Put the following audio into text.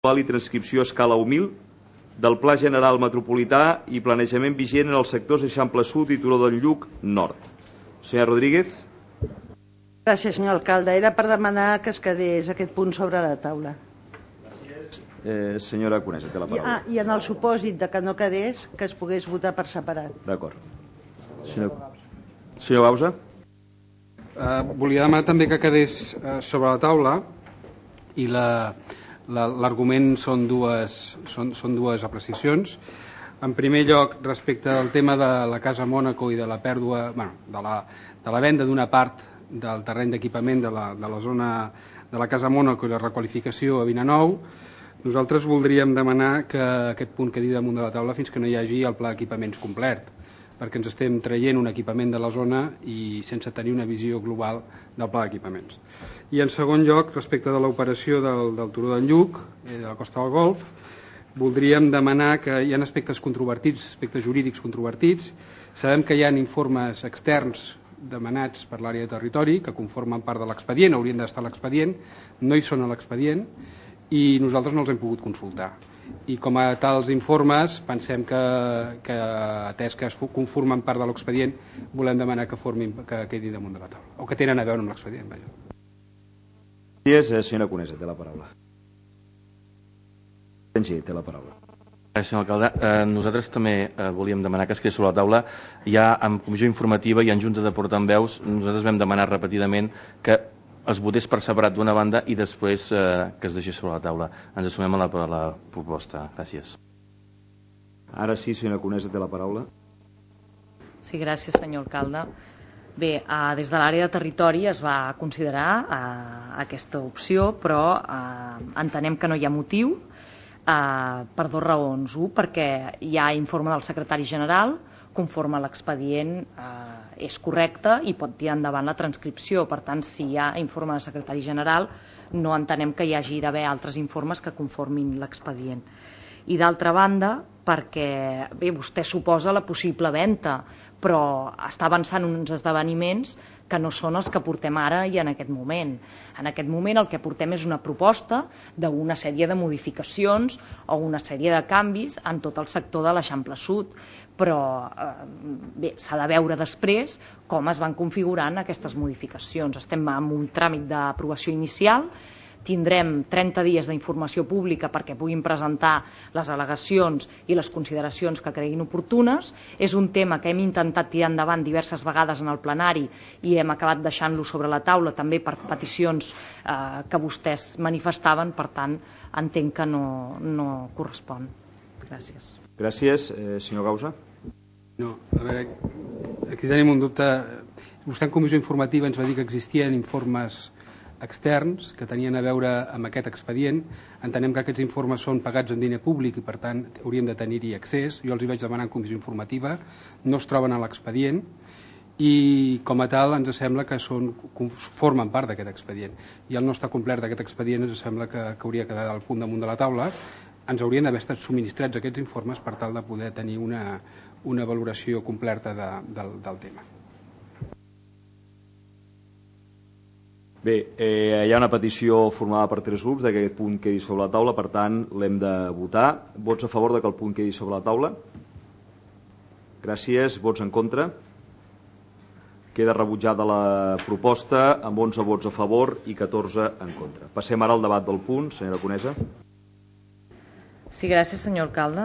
i transcripció a escala humil del Pla General Metropolità i planejament vigent en els sectors Eixample Sud i Turó del Lluc Nord. Senyora Rodríguez. Gràcies, senyor alcalde. Era per demanar que es quedés aquest punt sobre la taula. Gràcies. Senyora Conesa, té la paraula. I en el supòsit de que no quedés, que es pogués votar per separat. D'acord. Senyor Bausa. Volia demanar també que quedés sobre la taula i l'argument són dues apreciacions. En primer lloc, respecte al tema de la Casa Mònaco i de la pèrdua, de la venda d'una part del terreny d'equipament de la zona de la Casa Mònaco i la requalificació a Vilanou, nosaltres voldríem demanar que aquest punt quedi damunt de la taula fins que no hi hagi el pla d'equipaments complet, perquè ens estem traient un equipament de la zona i sense tenir una visió global del pla d'equipaments. I en segon lloc, respecte de l'operació del Turó del Lluc, de la Costa del Golf, voldríem demanar que hi ha aspectes controvertits, aspectes jurídics controvertits. Sabem que hi ha informes externs demanats per l'àrea de territori que conformen part de l'expedient, haurien d'estar a l'expedient, no hi són a l'expedient i nosaltres no els hem pogut consultar. I com a tals informes pensem que atès que es conformen part de l'expedient volem demanar que quedi damunt de la taula o que tenen a veure amb l'expedient. Gràcies, senyora Conesa, té la paraula. Té la paraula. Senyor alcalde, nosaltres també volíem demanar que es quedés sobre la taula. Ja en comissió informativa i en junta de portaveus nosaltres vam demanar repetidament que es votés per separat d'una banda i després que es deixés sobre la taula. Ens assumem a la proposta. Gràcies. Ara sí, senyora Conesa, té la paraula. Sí, gràcies, senyor alcalde. Bé, des de l'àrea de territori es va considerar aquesta opció, però entenem que no hi ha motiu per dues raons. Un, perquè hi ha informe del secretari general, conforme a l'expedient és correcte i pot tirar endavant la transcripció. Per tant, si hi ha informe del secretari general, no entenem que hi hagi d'haver altres informes que conformin l'expedient. I d'altra banda, perquè bé, vostè suposa la possible venda, però està avançant uns esdeveniments que no són els que portem ara i en aquest moment. En aquest moment el que portem és una proposta d'una sèrie de modificacions o una sèrie de canvis en tot el sector de l'Eixample Sud, però bé, s'ha de veure després com es van configurant aquestes modificacions. Estem en un tràmit d'aprovació inicial, tindrem 30 dies d'informació pública perquè puguin presentar les al·legacions i les consideracions que creguin oportunes. És un tema que hem intentat tirar endavant diverses vegades en el plenari i hem acabat deixant-lo sobre la taula també per peticions que vostès manifestaven, per tant entenc que no correspon. Gràcies. Gràcies. Senyor Gausa. No, a veure, aquí tenim un dubte. Vostè en comissió informativa ens va dir que existien informes externs que tenien a veure amb aquest expedient. Entenem que aquests informes són pagats en diner públic i per tant hauríem de tenir-hi accés. Jo els hi vaig demanar en comissió informativa, no es troben a l'expedient i com a tal ens sembla que formen part d'aquest expedient i el no estar complert d'aquest expedient ens sembla que hauria quedat al punt damunt de la taula. Ens haurien d'haver estat subministrats aquests informes per tal de poder tenir una valoració completa del tema. Bé, hi ha una petició formada per 3 grups que aquest punt quedi sobre la taula, per tant l'hem de votar. Vots a favor de que el punt quedi sobre la taula? Gràcies. Vots en contra? Queda rebutjada la proposta amb 11 vots a favor i 14 en contra. Passem ara al debat del punt. Senyora Conesa. Sí, gràcies, senyor alcalde.